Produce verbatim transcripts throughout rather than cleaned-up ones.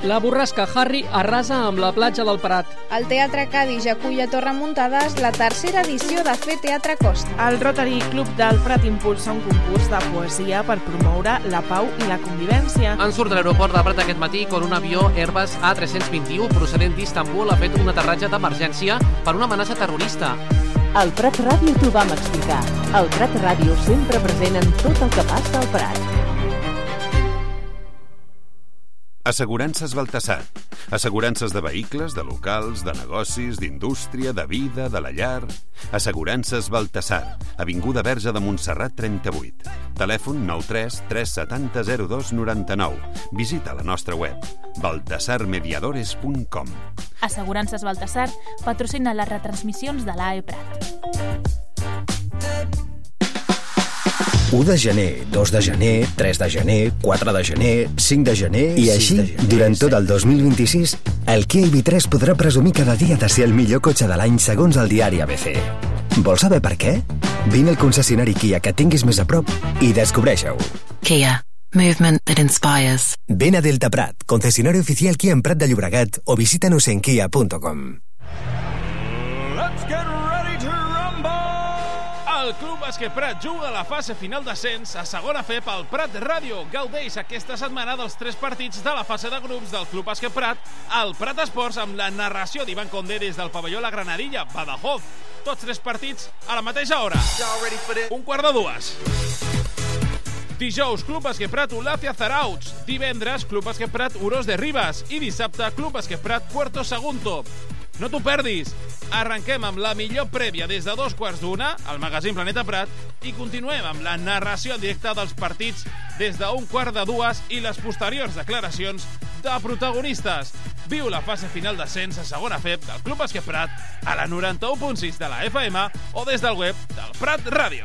La borrasca Harry arrasa amb la platja del Prat. El Teatre Cadis acull a Torremuntades la tercera edició de Fer Teatre Costa. El Rotary Club del Prat impulsa un concurs de poesia per promoure la pau i la convivència. En surt de l'aeroport de Prat aquest matí quan un avió Airbus A tres cents vint i u procedent d'Istanbul ha fet un aterratge d'emergència per una amenaça terrorista. Al Prat Ràdio t'ho vam explicar. Al Prat Ràdio sempre present en tot el que passa al Prat. Assegurances Baltasar. Assegurances de vehicles, de locals, de negocis, d'indústria, de vida, de la llar. Assegurances Baltasar. Avinguda Verge de Montserrat trenta-vuit. Telèfon nou tres tres set zero zero dos nou nou. Visita la nostra web baltasar mediadores punt com. Assegurances Baltasar patrocina les retransmissions de l'A E Prat. u de gener, dos de gener, tres de gener, quatre de gener, cinc de gener... I així, gener, durant tot el dos mil vint-i-sis, el Kia i V tres podrà presumir cada dia de ser el millor cotxe de l'any segons el diari A B C. Vols saber per què? Vine al concessionari Kia que tinguis més a prop i descobreix-ho. Kia. Movement that inspires. Ven a Delta Prat, concesionario oficial Kia en Prat de Llobregat o visítanos en kia punto com. Let's get ready to rumble! El Club Bàsquet Prat juga a la fase final d'ascens a segona F E pel Prat Ràdio. Gaudeix aquesta setmana dels tres partits de la fase de grups del Club Bàsquet Prat al Prat Esports amb la narració d'Ivan Condé des del pavelló La Granadilla, Badajoz. Tots tres partits a la mateixa hora. Un quart de dues. Dijous, Club Bàsquet Prat, Olàcia Zarauts. Divendres, Club Bàsquet Prat, Orós de Ribes. I dissabte, Club Bàsquet Prat, Puerto Sagunto. No t'ho perdis. Arrenquem amb la millor prèvia des de dos quarts d'una, al magazín Planeta Prat, i continuem amb la narració en directe dels partits des d'un quart de dues i les posteriors declaracions de protagonistes. Viu la fase final d'ascens a segona F E del Club Bàsquet Prat a la noranta-u punt sis de la F M o des del web del Prat Ràdio.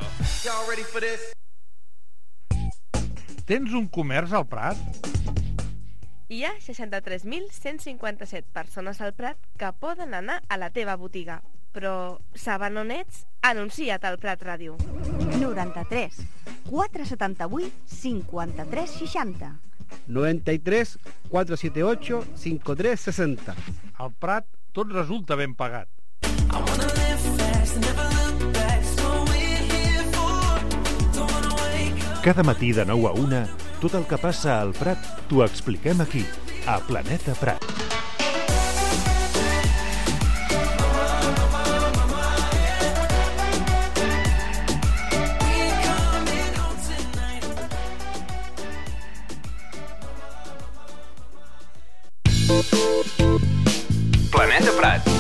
Tens un comerç al Prat? Hi ha seixanta-tres mil cent cinquanta-set persones al Prat que poden anar a la teva botiga. Però saben on ets? Anuncia't al Prat Ràdio. noranta-tres quatre setanta-vuit cinquanta-tres seixanta. noventa y tres quatre setanta ocho cinquanta tres sesenta. Al Prat tot resulta ben pagat. Cada matí de nou a una, tot el que passa al Prat t'ho expliquem aquí, a Planeta Prat. Planeta Prat.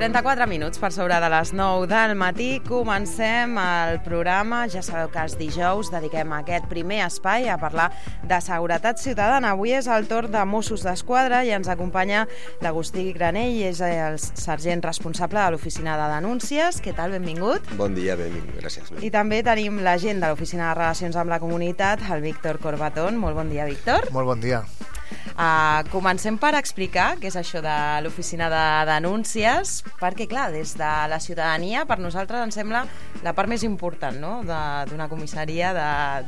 trenta-quatre minuts per sobre de les nou del matí. Comencem el programa. Ja sabeu que els dijous dediquem aquest primer espai a parlar de seguretat ciutadana. Avui és el torn de Mossos d'Esquadra i ens acompanya l'Agustí Granell, és el sergent responsable de l'Oficina de Denúncies. Què tal? Benvingut. Bon dia, benvingut. Gràcies. I també tenim l'agent de l'Oficina de Relacions amb la Comunitat, el Víctor Corbatón. Molt bon dia, Víctor. Molt bon dia. Uh, comencem per explicar què és això de l'Oficina de Denúncies, perquè, clar, des de la ciutadania, per nosaltres ens sembla la part més important, no?, d'una comissaria,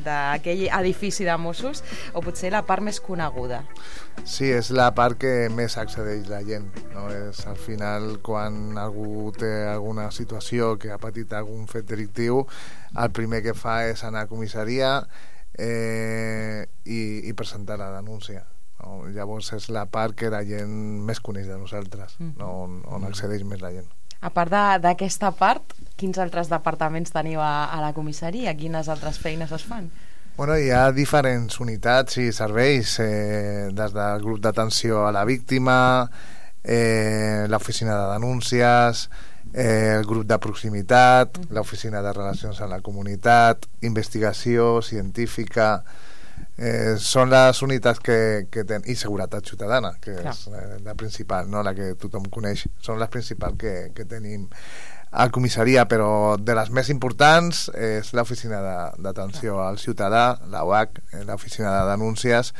d'aquell edifici de Mossos, o potser la part més coneguda. Sí, és la part que més accedeix la gent, no? És al final quan algú té alguna situació que ha patit algun fet delictiu, el primer que fa és anar a comissaria eh, i, i presentar la denúncia. no? Llavors és la part que la gent més coneix de nosaltres, mm. no? on, on accedeix més la gent. A part d'aquesta part, quins altres departaments teniu a, a la comissaria? Quines altres feines es fan? Bueno, hi ha diferents unitats i serveis, eh, des del grup d'atenció a la víctima, eh, l'oficina de denúncies, eh, el grup de proximitat, mm. l'oficina de relacions amb la comunitat, investigació científica, eh, són les unitats que, que ten... i seguretat ciutadana, que Clar. és eh, la principal, no? La que tothom coneix, són les principals que, que tenim a comissaria, però de les més importants és l'oficina d'atenció al ciutadà, la U H, l'oficina de denúncies,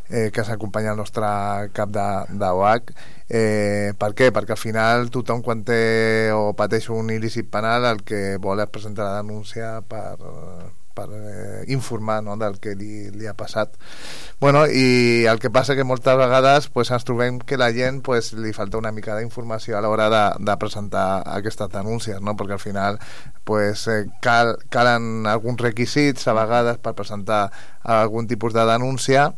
eh, que s'acompanya el nostre cap de, de U H. Eh, per què? Perquè al final tothom quan té o pateix un il·lícit penal el que vol és presentar la denúncia per, per eh, informar, no?, del que li, li ha passat. Bueno, i el que passa que moltes vegades pues, ens trobem que la gent pues, li falta una mica d'informació a l'hora de, de presentar aquestes denúncies, no? Perquè al final pues, eh, cal, calen alguns requisits a vegades per presentar algun tipus de denúncia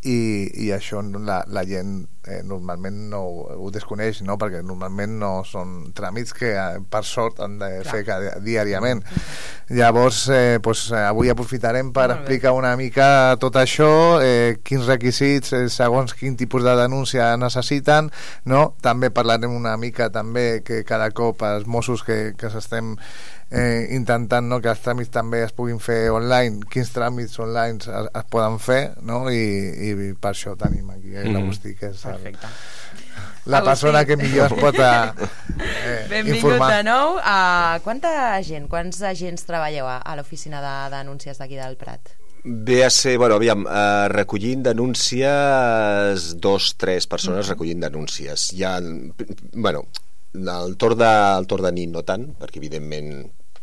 i, i això la, la gent eh, normalment no ho, ho desconeix, no? Perquè normalment no són tràmits que eh, per sort han de Clar. fer cada, diàriament. Llavors eh, pues, avui aprofitarem per explicar una mica tot això, eh, quins requisits eh, segons quin tipus de denúncia necessiten, no? També parlarem una mica també que cada cop els Mossos que, que s'estem Eh, intentant, no?, que els tràmits també es puguin fer online, quins tràmits online es, es poden fer, no? I, i per això tenim aquí eh, l'Agustí, que és el, la persona que millor es pot eh, Benvingut informar. de nou. Uh, quanta gent, quants agents treballeu a, a l'oficina de denúncies d'aquí del Prat? Ve a ser, bueno, aviam, eh, recollint denúncies, dos, tres persones mm-hmm. recollint denúncies. Hi ha, bueno, el torn de, el torn de nit no tant, perquè evidentment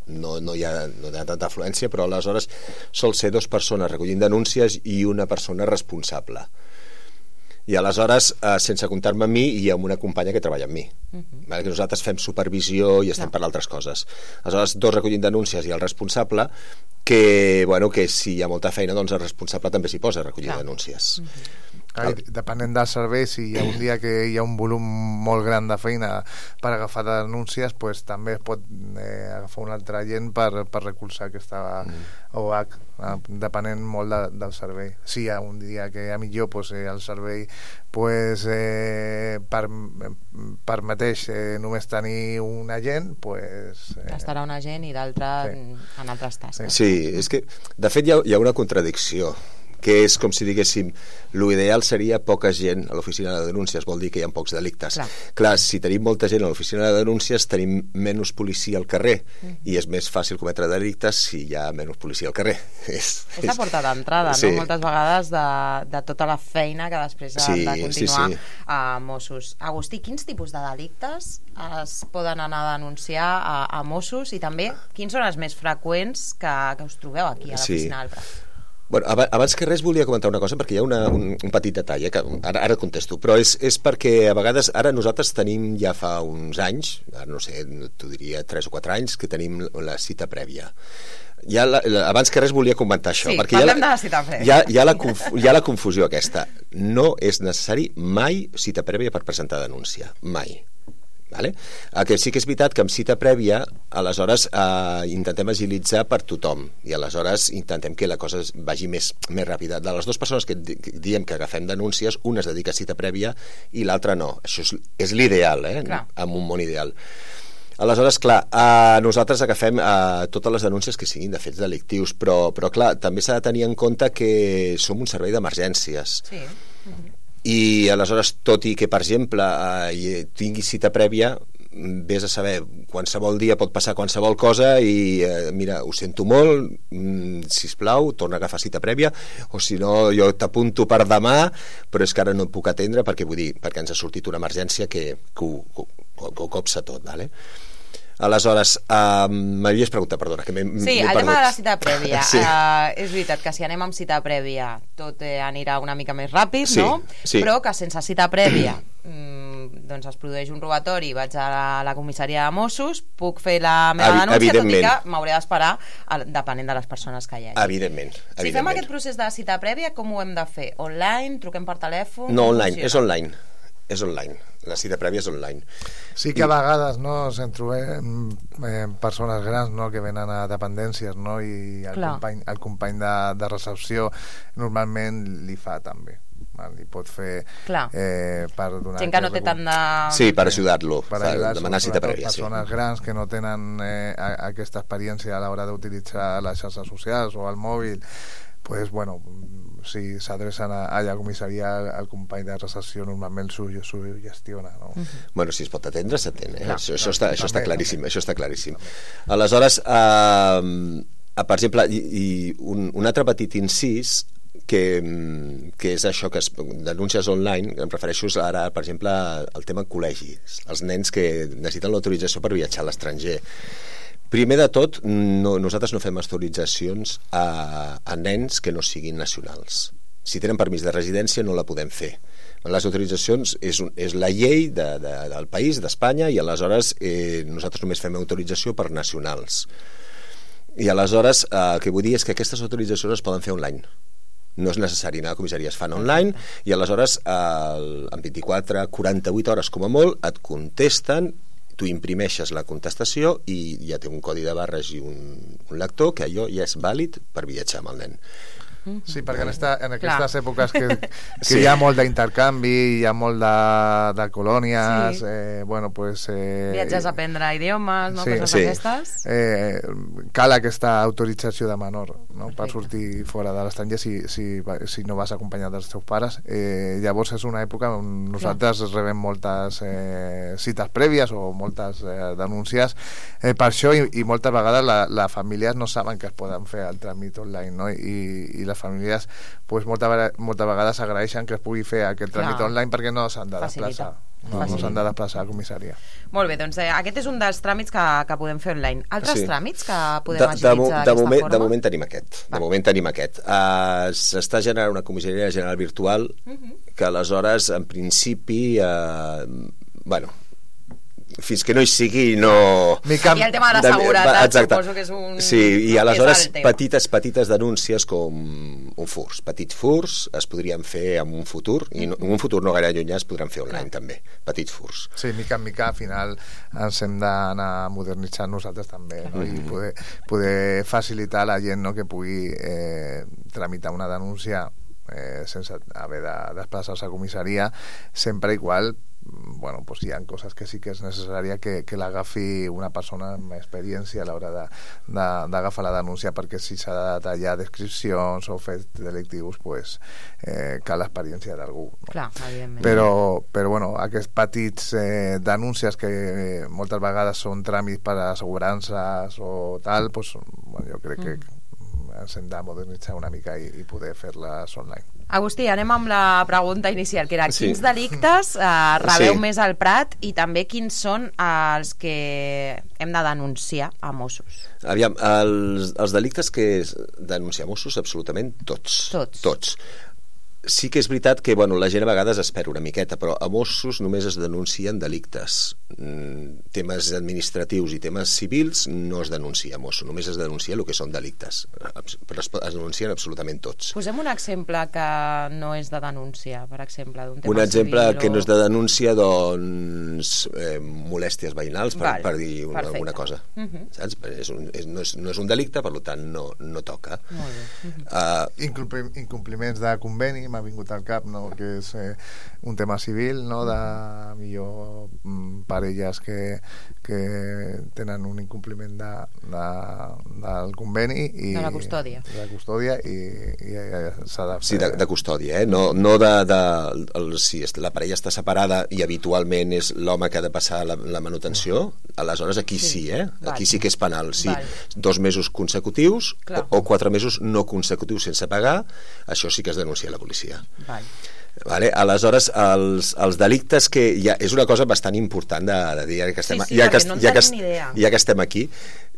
no, no, hi ha, no hi ha tanta afluència, però aleshores sol ser dues persones recollint denúncies i una persona responsable. I aleshores, eh, sense comptar-me a mi, hi ha una companya que treballa amb mi. Uh-huh. Vale? Que nosaltres fem supervisió i estem no. per altres coses. Aleshores, dos recollint denúncies i el responsable, que, bueno, que si hi ha molta feina, doncs el responsable també s'hi posa a recollir Clar. denúncies. Uh-huh. Clar, depenent del servei, si hi ha un dia que hi ha un volum molt gran de feina per agafar denúncies, pues, també es pot eh, agafar un altre agent per, per recolzar aquesta mm. O H, eh, depenent molt de, del servei. Si hi ha un dia que hi ha millor, pues, eh, el servei pues, eh, per, per mateix eh, només tenir un agent, pues, eh, estarà un agent i d'altre sí. en altres tasques. Sí, és que de fet hi ha, hi ha una contradicció, que és com si diguéssim, l'ideal seria poca gent a l'oficina de denúncies, vol dir que hi ha pocs delictes. Clar, Clar si tenim molta gent a l'oficina de denúncies tenim menys policia al carrer mm. i és més fàcil cometre delictes si hi ha menys policia al carrer. És, és la porta d'entrada, sí. no? Moltes vegades de, de tota la feina que després sí, ha de continuar sí, sí. a Mossos. Agustí, quins tipus de delictes es poden anar a denunciar a, a Mossos i també quins són els més freqüents que, que us trobeu aquí a l'oficina sí. del Prat? Bueno, abans que res volia comentar una cosa perquè hi ha una, un, un petit detall eh, que ara, ara contesto, però és, és perquè a vegades ara nosaltres tenim ja fa uns anys, ara no sé, t'ho diria tres o quatre anys, que tenim la cita prèvia. Ja la, la, abans que res volia comentar això, sí, perquè parlem hi ha, de la cita prèvia. Hi ha, hi, ha la conf, hi ha la confusió aquesta. No és necessari mai cita prèvia per presentar denúncia, mai. Vale? El que sí que és veritat que amb cita prèvia aleshores eh, intentem agilitzar per tothom i aleshores intentem que la cosa vagi més, més ràpida. De les dues persones que, que diem que agafem denúncies, una es dedica a cita prèvia i l'altra no. Això és, és l'ideal, eh? En un món ideal. Aleshores, clar, eh, nosaltres agafem eh, totes les denúncies que siguin de fets delictius, però, però clar, també s'ha de tenir en compte que som un servei d'emergències. Sí. Mm-hmm. I aleshores, tot i que per exemple eh, tingui cita prèvia, vés a saber, qualsevol dia pot passar qualsevol cosa i eh, mira, ho sento molt, mm, sisplau, torna a agafar cita prèvia, o si no jo t'apunto per demà, però és que ara no et puc atendre perquè vull dir, perquè ens ha sortit una emergència que, que, ho, que, ho, que ho copsa tot, vale? Aleshores, uh, m'havies preguntat, perdona, que m'he Sí, el tema de la cita prèvia. sí. uh, és veritat que si anem amb cita prèvia tot eh, anirà una mica més ràpid, sí, no? Sí. Però que sense cita prèvia mm, doncs es produeix un robatori, vaig a la, la comissaria de Mossos, puc fer la meva Evi- denúncia, tot i evidentment. que m'hauré d'esperar a- depenent de les persones que hi hagi. Evidentment, Si fem evidentment. aquest procés de cita prèvia, com ho hem de fer? Online? Truquem per telèfon? No, Com online, funciona? és online. És online. La cita prèvia és online. Sí que a vegades no se'n trobem eh, persones grans, no, que venen a dependències, no, i el Clar. company, el company de, de recepció normalment li fa també. Val? Li pot fer Clar. eh, per donar... Gent que no té tant de... Sí, per ajudar-lo, per per ajudar demanar cita sobretot prèvia, sí. persones grans que no tenen eh, a- aquesta experiència a l'hora d'utilitzar les xarxes socials o el mòbil, pues bueno, si s'adrecen a, a la comissaria, el, el company de recepció normalment s'ho s'ho gestiona, no? Bueno, si es pot atendre, s'atén, eh? Clar, això, això, clar, està, això està també, claríssim, això està claríssim. Aleshores, eh, per exemple, i, i un, un altre petit incís que, que és això que es, denúncies online, em refereixo ara, per exemple, al tema col·legis, els nens que necessiten l'autorització per viatjar a l'estranger. Primer de tot, no, nosaltres no fem autoritzacions a, a nens que no siguin nacionals. Si tenen permís de residència no la podem fer. Les autoritzacions és, un, és la llei de, de, del país, d'Espanya, i aleshores eh, nosaltres només fem autorització per nacionals. I aleshores eh, el que vull dir és que aquestes autoritzacions es poden fer online. No és necessari anar a comissaria, es fan online, i aleshores eh, en vint-i-quatre a quaranta-vuit hores com a molt et contesten, tu imprimeixes la contestació i ja té un codi de barres i un, un lector que allò ja és vàlid per viatjar amb el nen. Sí, perquè en, esta, en aquestes Clar. èpoques que, que Sí. hi ha molt d'intercanvi, hi ha molt de, de colònies, Sí. eh, bueno, pues... Eh, Viatges a aprendre idiomes, no? Sí. Coses Sí. d'aquestes. eh, cal aquesta autorització de menor, no? Per Perfecte. sortir fora de l'estranger si, si, va- si no vas acompanyat dels teus pares. Eh, llavors és una època on nosaltres rebem moltes eh, cites prèvies o moltes eh, denúncies eh, per això, i, i moltes vegades la, les famílies no saben que es poden fer el tràmit online, no? I, i les famílies pues, moltes, vegades, moltes vegades agraeixen que es pugui fer aquest tràmit Clar. online perquè no s'han de Facilita. desplaçar. No, no Facilita. s'han de desplaçar a comissaria. Molt bé, doncs eh, aquest és un dels tràmits que, que podem fer online. Altres Sí. tràmits que podem De, de, agilitzar mo- de, d'aquesta moment, forma? de moment tenim aquest. De moment tenim aquest. Uh, S'està generant una comissaria general virtual que aleshores, en principi, uh, bueno, fins que no hi sigui no... Mica... I el tema de la seguretat, Exacte. suposo que és un... Sí, i és aleshores el tema. petites, petites denúncies com un furs. Petits furs es podrien fer en un futur, i no, en un futur no gaire llunyà es podran fer online també, petits furs. Sí, mica en mica al final ens hem d'anar modernitzant nosaltres també, no? I poder, poder facilitar a la gent, no?, que pugui eh, tramitar una denúncia eh, sense haver de desplaçar-se a comissaria, sempre igual, bueno, pues hi ha coses que sí que és necessària que, que l'agafi una persona amb experiència a l'hora de- de- d'agafar la denúncia, perquè si s'ha de detallar descripcions o fets delictius, pues, eh, cal l'experiència d'algú, no? Clar, evidentment. Però, però bueno, aquests petits eh, denúncies que eh, moltes vegades són tràmits per a assegurances o tal, pues, bueno, jo crec que ens hem de modernitzar una mica i, i poder fer-les online. Agustí, anem amb la pregunta inicial, que era Sí. quins delictes eh, rebeu Sí. més al Prat i també quins són els que hem de denunciar a Mossos? Aviam, els, els delictes que es denuncia Mossos, absolutament tots. Tots. Tots. Sí que és veritat que bueno, la gent a vegades espera una miqueta, però a Mossos només es denuncien delictes. Mm, temes administratius i temes civils no es denuncia a Mossos, només es denuncia el que són delictes. Abs- Però es, es denuncien absolutament tots. Posem un exemple que no és de denúncia, per exemple, d'un tema Un exemple civil que o... no és de denúncia, doncs, eh, molèsties veïnals, per, Val, per dir una, perfecte. alguna cosa. Mhm. Saps? És un, és, no, és, no és un delicte, per tant, no, no toca. Molt bé. Mhm. Uh, Incompli incompliments de conveni m'ha vingut al cap, no? Que és eh, un tema civil, no? De millor mm, parelles que, que tenen un incompliment de, de, del conveni i, De la custòdia. de la custòdia i, i, i s'ha de fer Sí, de, de custòdia, eh? No, no de... de el, si la parella està separada i habitualment és l'home que ha de passar la, la manutenció, aleshores aquí sí, sí eh? Val. Aquí sí que és penal. Sí, Val. dos mesos consecutius Clar. o, o quatre mesos no consecutius sense pagar, això sí que es denuncia a la policia. Val. Vale? Aleshores, els, els delictes que... Ja, és una cosa bastant important de, de dir, ja que estem, Sí, sí, ja perquè que, no en ja que, tenim ni idea. ja que estem aquí,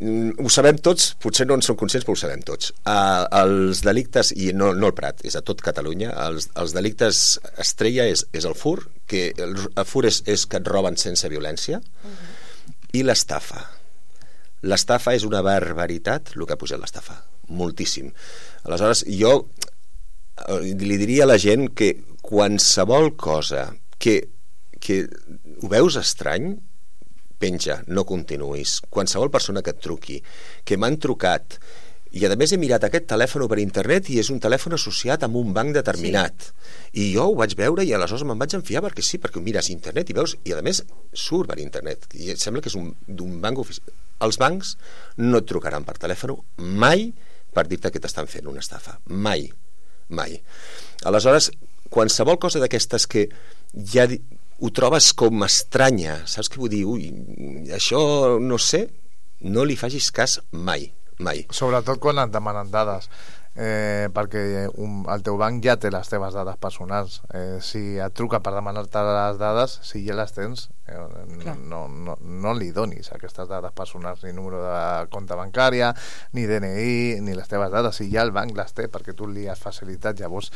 mm, ho sabem tots, potser no en som conscients, però ho sabem tots. Uh, els delictes, i no, no el Prat, és a tot Catalunya, els, els delictes estrella és, és el fur, que el, el fur és, és que et roben sense violència, uh-huh. i l'estafa. L'estafa és una barbaritat, el que ha pujat l'estafa, moltíssim. Aleshores, jo li diria a la gent que qualsevol cosa que, que ho veus estrany, penja, no continuïs. Qualsevol persona que et truqui, que m'han trucat, i a més he mirat aquest telèfon per internet i és un telèfon associat amb un banc determinat, sí. I jo ho vaig veure i aleshores me'n vaig enfiar perquè sí, perquè ho mires a internet i veus, i a més surt per internet i sembla que és un, d'un banc oficial. Els bancs no et trucaran per telèfon mai per dir-te que t'estan fent una estafa, mai, mai. Aleshores, qualsevol cosa d'aquestes que ja ho trobes com estranya, saps què vull dir? Ui, això no sé, no li facis cas mai, mai. Sobretot quan et demanen dades, eh, perquè un, el teu banc ja té les teves dades personals. Eh, si et truca per demanar-te les dades, si ja les tens, eh, no, no, no li donis aquestes dades personals, ni número de compte bancària, ni D N I, ni les teves dades, si ja el banc les té, perquè tu li has facilitat. Llavors,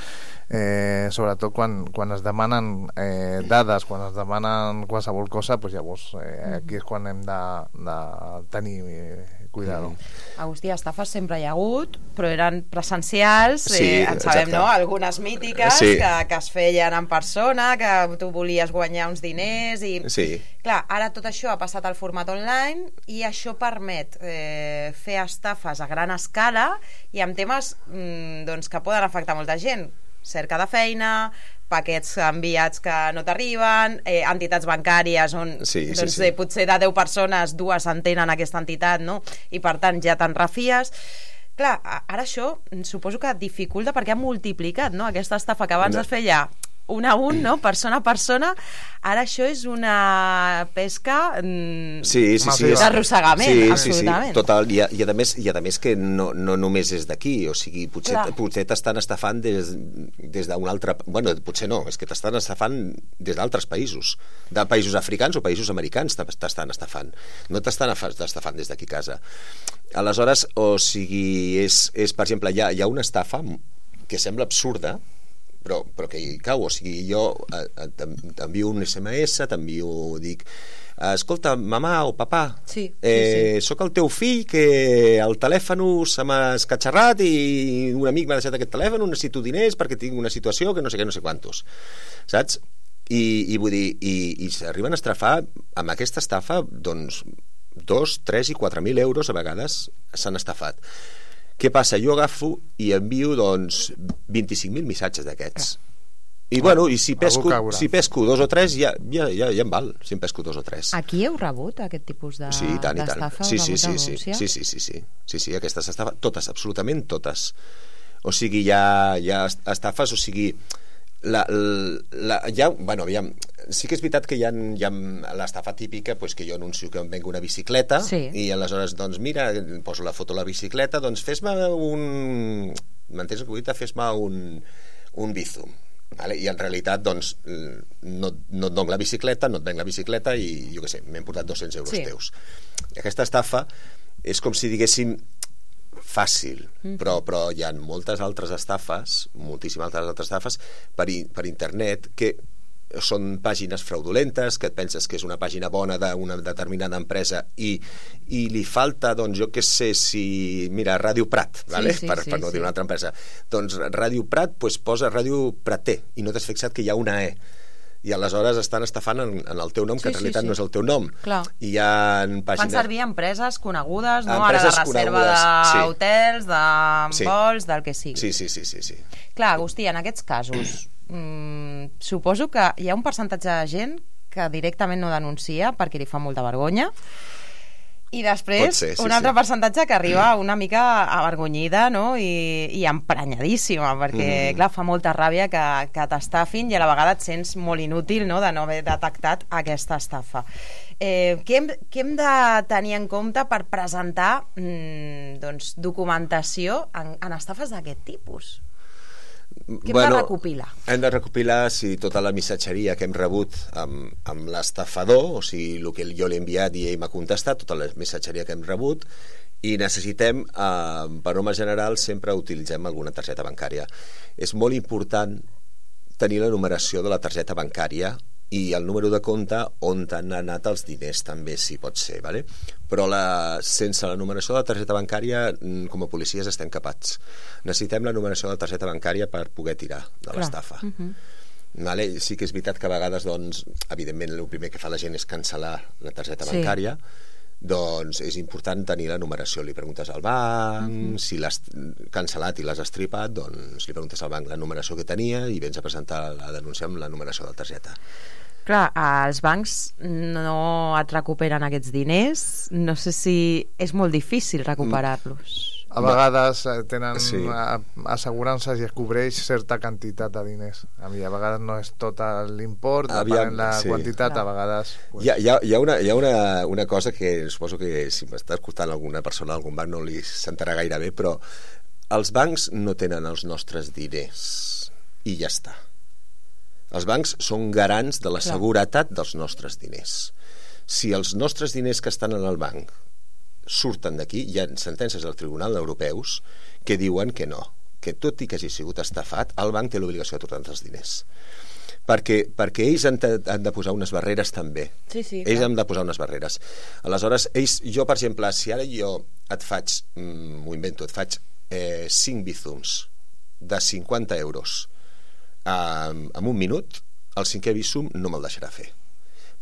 eh, sobretot quan, quan es demanen eh, dades, quan es demanen qualsevol cosa, doncs llavors eh, aquí és quan hem de, de tenir eh, cuidado. Agustí, estafes sempre hi ha hagut, però eren presencials, sí, eh, en sabem, exacte. no? Algunes mítiques, sí. que, que es feien en persona, que tu volies guanyar uns diners i... Sí. Clar, ara tot això ha passat al format online i això permet eh, fer estafes a gran escala i amb temes mm, doncs, que poden afectar molta gent. Cerca de feina, paquets enviats que no t'arriben, eh, entitats bancàries on sí, sí, doncs, sí. Eh, potser de deu persones dues entenen aquesta entitat, no? I per tant ja te'n refies. Clar, ara això suposo que dificulta perquè ha multiplicat, no? Aquesta estafa que abans Una... es feia un a un, no? Persona a persona, ara això és una pesca mm, sí, sí, sí, d'arrossegament, sí, absolutament. Sí, sí, total, i a, i a més, i a més que no, no només és d'aquí, o sigui, potser, potser t'estan estafant des, des d'un altre... Bueno, potser no, és que t'estan estafant des d'altres països, de països africans o països americans t'estan estafant, no t'estan estafant des d'aquí a casa. Aleshores, o sigui, és, és per exemple, hi ha, hi ha una estafa que sembla absurda, però, però que hi cau, o sigui, jo eh, t'envio un S M S, t'envio, dic, escolta, mamà o papà, sí, eh, sí, sí. sóc el teu fill que el telèfon se m'ha escatxarrat i un amic m'ha deixat aquest telèfon, necessito diners perquè tinc una situació que no sé què, no sé quantos, saps? I, i vull dir, i, i s'arriben a estrafar amb aquesta estafa, doncs, dos, tres i quatre mil euros a vegades s'han estafat. Què passa? Jo agafo i envio doncs vint-i-cinc mil missatges d'aquests. I bueno, i si pesco, si pesco dos o tres ja, ja, ja, ja em val, si em pesco dos o tres. Aquí heu rebut aquest tipus de, sí, tant, d'estafa? Sí, sí, sí, sí, sí, sí, sí, sí, sí, sí, sí, aquestes estafes, totes, absolutament totes. O sigui, hi ha, hi ha estafes, o sigui, la, la, ja, bueno, aviam, sí que és veritat que hi ha, hi ha l'estafa típica, pues, que jo anuncio que em vengo una bicicleta, sí. I aleshores, doncs mira, poso la foto de la bicicleta, doncs fes-me un... M'entens que vull dir? Fes-me un, un bizum. Vale? I en realitat, doncs, no, no et dono la bicicleta, no et venc la bicicleta i, jo què sé, m'he portat dos-cents euros sí. teus. I aquesta estafa és com si diguéssim fàcil, mm. però, però hi ha moltes altres estafes, moltíssimes altres altres estafes per, per internet que són pàgines fraudulentes, que et penses que és una pàgina bona d'una determinada empresa i, i li falta, doncs jo què sé, si mira, Ràdio Prat, vale? sí, sí, per, sí, per no sí. dir una altra empresa, doncs Ràdio Prat pues, posa Ràdio Prater i no t'has fixat que hi ha una E i aleshores estan estafant en, en el teu nom, sí, que en realitat sí, sí. no és el teu nom. Clar. I hi ha pàgines... Fan servir empreses conegudes, no? Empreses Ara de reserva d'hotels, sí. de sí. vols, del que sigui. Sí, sí, sí, sí, sí. Clar, Agustí, en aquests casos, mm, suposo que hi ha un percentatge de gent que directament no denuncia perquè li fa molta vergonya, i després ser, sí, un altre sí. percentatge que arriba una mica avergonyida, no? I, i emprenyadíssima, perquè mm. clar, fa molta ràbia que, que t'estafin i a la vegada et sents molt inútil, no?, de no haver detectat aquesta estafa. Eh, què, hem, què hem de tenir en compte per presentar mm, doncs, documentació en, en estafes d'aquest tipus? Què hem bueno, de recopilar? Hem de recopilar sí, tota la missatgeria que hem rebut amb, amb l'estafador, o sigui, el que jo l'he enviat i ell m'ha contestat, tota la missatgeria que hem rebut, i necessitem, eh, per norma general, sempre utilitzem alguna targeta bancària. És molt important tenir la numeració de la targeta bancària i el número de compte on han anat els diners també, si pot ser, vale? Però la, sense la numeració de la targeta bancària, com a policies estem capats. Necessitem la numeració de la targeta bancària per poder tirar de l'estafa. Uh-huh. Vale? Sí que és veritat que a vegades, doncs, evidentment, el primer que fa la gent és cancel·lar la targeta sí. bancària, doncs és important tenir la numeració. Li preguntes al banc, uh-huh. si l'has cancel·lat i l'has estripat, doncs li preguntes al banc la numeració que tenia i vens a presentar la denúncia amb la numeració de la targeta. Clar, els bancs no et recuperen aquests diners, no sé si és molt difícil recuperar-los. A vegades tenen sí. assegurances i es cobreix certa quantitat de diners. A mi a vegades no és tot l'import, depenent la sí. quantitat, a vegades... Pues... Hi ha, hi ha, hi ha, una, hi ha una, una cosa que suposo que si m'està escoltant alguna persona d'algun banc no li sentarà gaire bé, però els bancs no tenen els nostres diners i ja està. Els bancs són garants de la Clar. seguretat dels nostres diners. Si els nostres diners que estan en el banc surten d'aquí, hi ha sentències del Tribunal Europeus que diuen que no, que tot i que hagi sigut estafat, el banc té l'obligació de tornar els diners. Perquè, perquè ells han de, han de posar unes barreres també. Sí, sí, ells clar. han de posar unes barreres. Aleshores, ells, jo, per exemple, si ara jo et faig, m'ho invento, et faig eh, cinc bizums de cinquanta euros eh, en un minut, el cinquè bizum no me'l deixarà fer,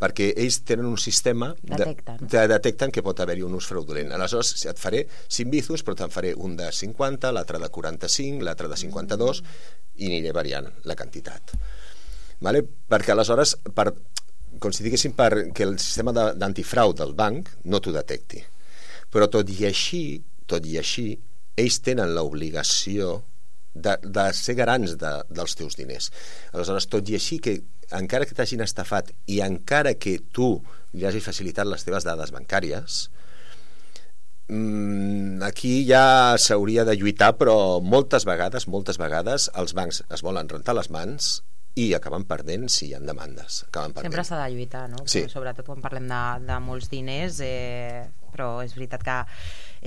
perquè ells tenen un sistema detecten, de, de, detecten que pot haver-hi un ús fraudulent. Aleshores et faré cinc bizums, però te'n faré un de cinquanta, l'altre de quaranta-cinc, l'altre de cinquanta-dos, i aniré variant la quantitat. Vale? Perquè aleshores, per, com si diguéssim, perquè el sistema d'antifrau del banc no t'ho detecti. Però tot i així, tot i així, ells tenen l'obligació de, de ser garants de, dels teus diners. Aleshores, tot i així que encara que t'hagin estafat i encara que tu li hagi facilitat les teves dades bancàries, mmm, aquí ja s'hauria de lluitar, però moltes vegades, moltes vegades els bancs es volen rentar les mans i acaben perdent si hi ha demandes. Acaben perdent. Sempre s'ha de lluitar, no? Sí. Sobretot quan parlem de, de molts diners, eh, però és veritat que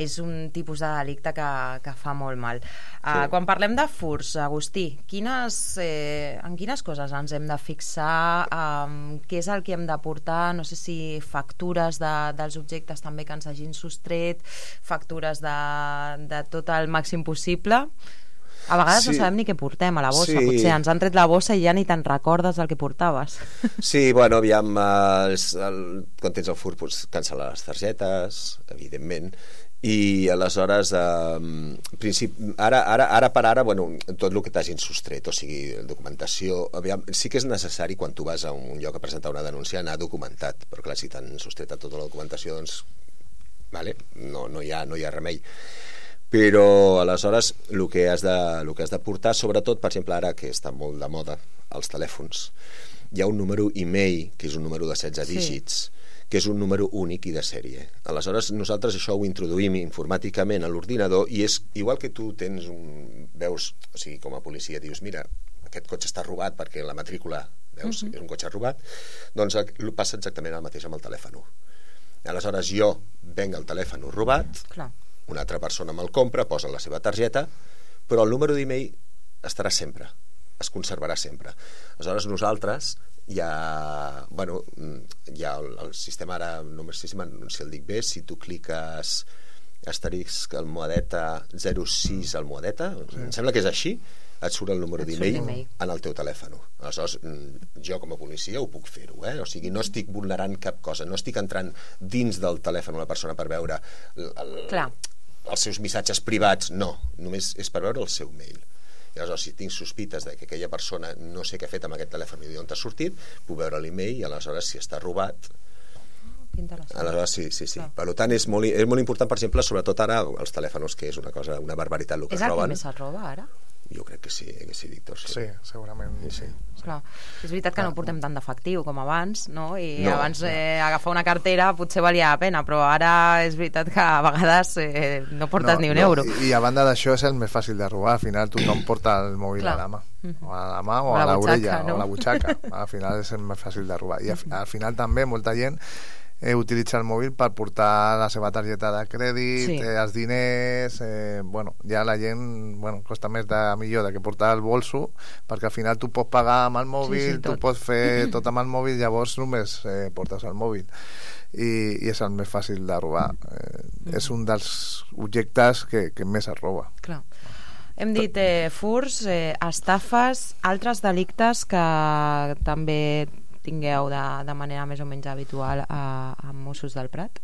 és un tipus de delicte que, que fa molt mal. Uh, sí. Quan parlem de furts, Agustí, quines, eh, en quines coses ens hem de fixar? Um, què és el que hem de portar? No sé si factures de, dels objectes també que ens hagin sostret, factures de, de tot el màxim possible. A vegades sí. no sabem ni què portem a la bossa, sí. potser ens han tret la bossa i ja ni te'n recordes del que portaves. Sí, bueno, aviam, eh, el, quan tens el furt, pues, cancel·lar les targetes, evidentment, i aleshores eh, princip... ara, ara, ara per ara, bueno, tot el que t'hagin sostret, o sigui, documentació, aviam, sí que és necessari quan tu vas a un lloc a presentar una denúncia anar documentat, però clar, si t'han sostret tota la documentació, doncs vale, no, no, hi ha, no hi ha remei. Però aleshores el que has de, el que has de portar, sobretot, per exemple, ara que està molt de moda els telèfons, hi ha un número e-mail, que és un número de setze sí. dígits, que és un número únic i de sèrie. Aleshores nosaltres això ho introduïm informàticament a l'ordinador i és igual que tu tens un... veus, o sigui, com a policia dius, mira, aquest cotxe està robat perquè la matrícula, veus, uh-huh. és un cotxe robat, doncs passa exactament el mateix amb el telèfon. Aleshores jo venc el telèfon robat, clar. Una altra persona me'l compra, posa la seva targeta, però el número d'e-mail estarà sempre, es conservarà sempre. Aleshores nosaltres hi ha, bueno, hi ha el, el sistema ara, no sé si, si el dic bé, si tu cliques asterisc almohadeta zero sis almohadeta, sí. em sembla que és així, et surt el número d'e-mail en el teu telèfon. Aleshores, jo com a policia ho puc fer-ho, eh? O sigui, no estic vulnerant cap cosa, no estic entrant dins del telèfon a la persona per veure el, el, els seus missatges privats, no, només és per veure el seu mail. I aleshores, si tinc sospites de que aquella persona no sé què ha fet amb aquest telèfon i d'on t'ha sortit, puc veure l'e-mail i aleshores si està robat... Aleshores, sí, sí, sí. Per tant, és molt, és molt important, per exemple, sobretot ara, els telèfons, que és una cosa, una barbaritat el que és es roben. És el que més es roba, ara? Jo crec que sí, que sí, Víctor. Sí, sí segurament. Sí, sí. Clar. És veritat que no portem tant d'efectiu com abans, no? I no, abans no. Eh, agafar una cartera potser valia la pena, però ara és veritat que a vegades eh, no portes no, ni un no. euro. I, I a banda d'això és el més fàcil de robar. Al final tothom porta el mòbil Clar. a la mà. O a la mà o, o a l'orella no? o a la butxaca. Al final és el més fàcil de robar. I al, al final també molta gent eh, utilitza el mòbil per portar la seva targeta de crèdit, Sí. eh, els diners, eh, bueno, ja la gent, bueno, costa més de millor de que portar el bolso, perquè al final tu pots pagar amb el mòbil, Sí, sí, tu tot. pots fer tot amb el mòbil, llavors només eh, portes el mòbil. I, i és el més fàcil de robar. Eh, Mm. És un dels objectes que, que més es roba. Clar. Hem dit eh, furs, eh, estafes, altres delictes que també tingueu de, de manera més o menys habitual a, a Mossos del Prat?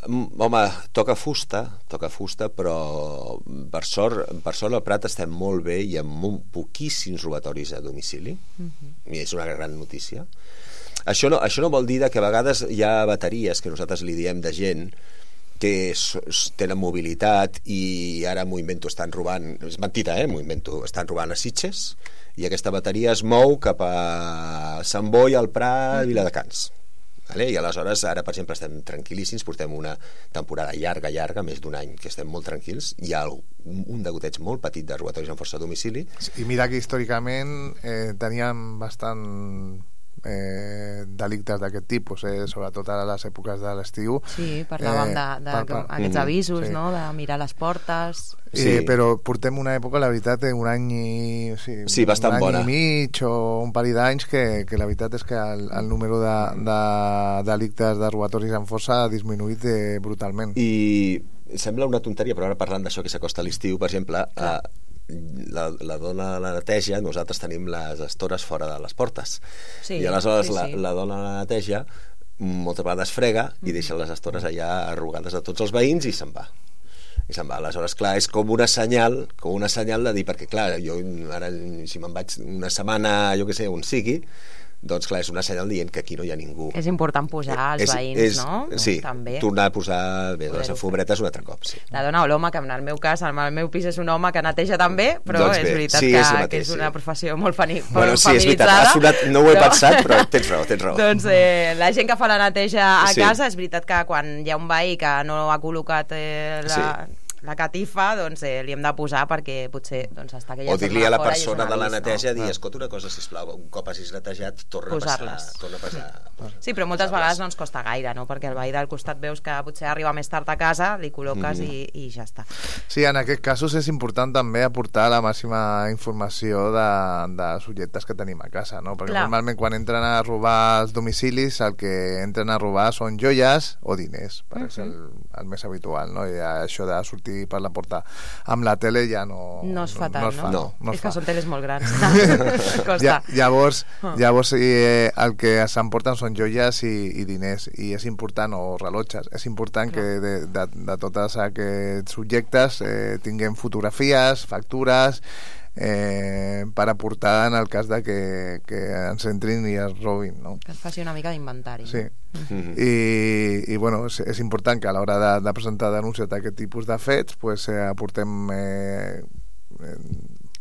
Home, toca fusta, toca fusta, però per sort, per sort al Prat estem molt bé i amb molt poquíssims robatoris a domicili, Mm-hmm. i és una gran notícia. Això no, això no vol dir que a vegades hi ha bateries que nosaltres li diem de gent que s- s- tenen mobilitat i ara m'ho invento, estan robant, és mentida, eh, m'ho invento, estan robant a Sitges i aquesta bateria es mou cap a Sant Boi, al Prat, Viladecans. Vale? I aleshores ara, per exemple, estem tranquil·líssims, portem una temporada llarga, llarga, més d'un any que estem molt tranquils, hi ha un, un degoteig molt petit de robatoris amb força a domicili. I mira que històricament eh, teníem bastant eh, delictes d'aquest tipus, eh, sobretot a les èpoques de l'estiu. Sí, parlàvem Eh, de, de per- per- aquests Mhm, avisos, sí. no?, de mirar les portes. Sí. Eh, però portem una època, la veritat, eh, un any i, sí, Sí, bastant un any bona. i mig o un parell d'anys que, que la veritat és que el, el número de, de delictes de robatoris amb força ha disminuït eh, brutalment. I sembla una tonteria, però ara parlant d'això que s'acosta a l'estiu, per exemple, eh, la, la dona de la neteja, nosaltres tenim les estores fora de les portes. Sí, I aleshores sí, la, sí. la dona de la neteja moltes vegades frega i deixa les estores allà arrugades a tots els veïns i se'n va. I se'n va. Aleshores, clar, és com una senyal, com una senyal de dir, perquè clar, jo ara si me'n vaig una setmana, jo què sé, on sigui, doncs clar, és una senyal dient que aquí no hi ha ningú. És important pujar als És- veïns, és, no? Sí, També. tornar a posar bé, les Poder-ho alfombretes un altre cop, sí. La dona o l'home, que en el meu cas, en el meu pis és un home que neteja també, però Doncs és bé, veritat sí, que, és el mateix, que és una sí. professió molt fani, Bueno, sí, és veritat, feminitzada. ha sonat, no ho he però- pensat, però tens raó, tens raó. Doncs eh, la gent que fa la neteja a Sí. casa, és veritat que quan hi ha un veí que no ha col·locat eh, la, la catifa, doncs eh, li hem de posar perquè potser doncs, està aquella O dir-li a la fora i és persona un de la avís, neteja, no? dir, escolta una cosa, sisplau, un cop hagis netejat, torna a Posar-les. passar. Torna a passar. Sí, però moltes vegades no ens costa gaire, no? Perquè el veí del costat veus que potser arriba més tard a casa, li col·loques Mhm. i, i ja està. Sí, en aquests casos és important també aportar la màxima informació de, de subjectes que tenim a casa, no? Perquè Clar. normalment quan entren a robar els domicilis el que entren a robar són joies o diners, per Mhm. és el, el més habitual, no? I això de sortir per la porta amb la tele ja no... No es fa tant, no? Es fa, no? no, no es és fa. que són teles molt grans. Costa. Ja, llavors, Ah. llavors eh, el que s'emporten són joies i, i diners, i és important, o rellotges, és important que de, de, de tots aquests subjectes eh, tinguem fotografies, factures, eh, per aportar en el cas de que, que ens entrin i es robin, no? Que es faci una mica d'inventari. Sí. Mhm. I, i bueno, és, és important que a l'hora de, de presentar denúncies d'aquest tipus de fets pues, eh, aportem eh, eh,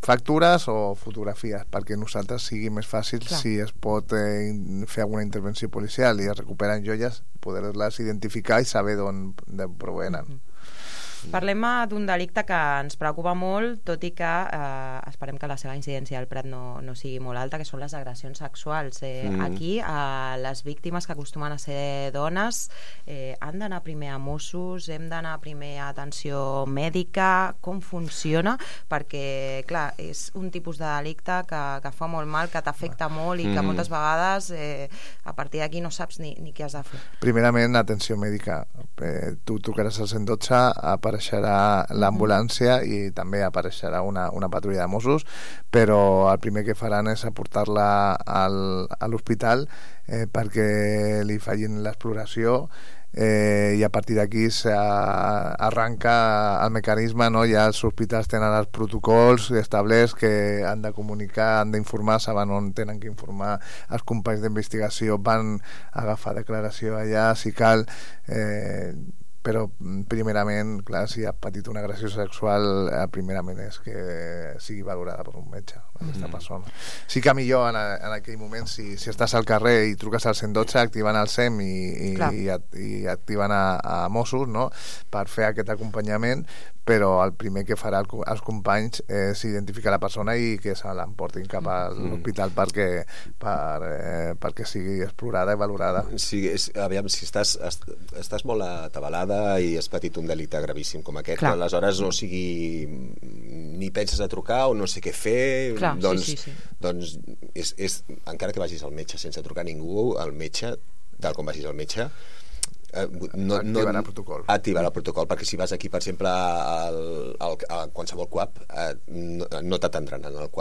factures o fotografies perquè nosaltres sigui més fàcil Clar. si es pot eh, in- fer alguna intervenció policial i es recuperen joies, poder-les identificar i saber d'on d'on provenen. Parlem eh, d'un delicte que ens preocupa molt, tot i que eh, esperem que la seva incidència al Prat no, no sigui molt alta, que són les agressions sexuals. Eh, Mm. Aquí, eh, les víctimes que acostumen a ser dones eh, han d'anar primer a Mossos, hem d'anar primer a atenció mèdica, com funciona? Perquè, clar, és un tipus de delicte que, que fa molt mal, que t'afecta molt i que Mm. moltes vegades eh, a partir d'aquí no saps ni, ni què has de fer. Primerament, atenció mèdica. Eh, tu trucaràs al cent dotze, apareixerà l'ambulància i també apareixerà una, una patrulla de Mossos, però el primer que faran és aportar-la al, a l'hospital eh, perquè li facin l'exploració eh, i a partir d'aquí arranca el mecanisme, no? Ja els hospitals tenen els protocols establerts que han de comunicar, han d'informar, saben on tenen que informar, els companys d'investigació van agafar declaració allà si cal, eh, però primerament, clar, si ha patit una agressió sexual, eh, primerament és que sigui valorada per un metge aquesta Mm. persona. Sí que millor en, a, en aquell moment, si, si estàs al carrer i truques al cent dotze, activant el S E M i, i, Clar. i, i activen a, a Mossos, no?, per fer aquest acompanyament, però el primer que farà el, els companys és identificar la persona i que se l'emportin cap a l'hospital mm. perquè, per, eh, perquè sigui explorada i valorada. Sí, és, aviam, si estàs, estàs molt atabalada i has patit un delicte gravíssim com aquest, Clar. aleshores no sigui ni penses a trucar o no sé què fer, Clar, doncs, sí, sí, sí. doncs és, és, encara que vagis al metge sense trucar a ningú, el metge, tal com vagis al metge, Eh, no, activarà no, el protocol activarà el protocol, perquè si vas aquí per exemple al, al, a qualsevol C U A P eh, no, no t'atendran en el C U A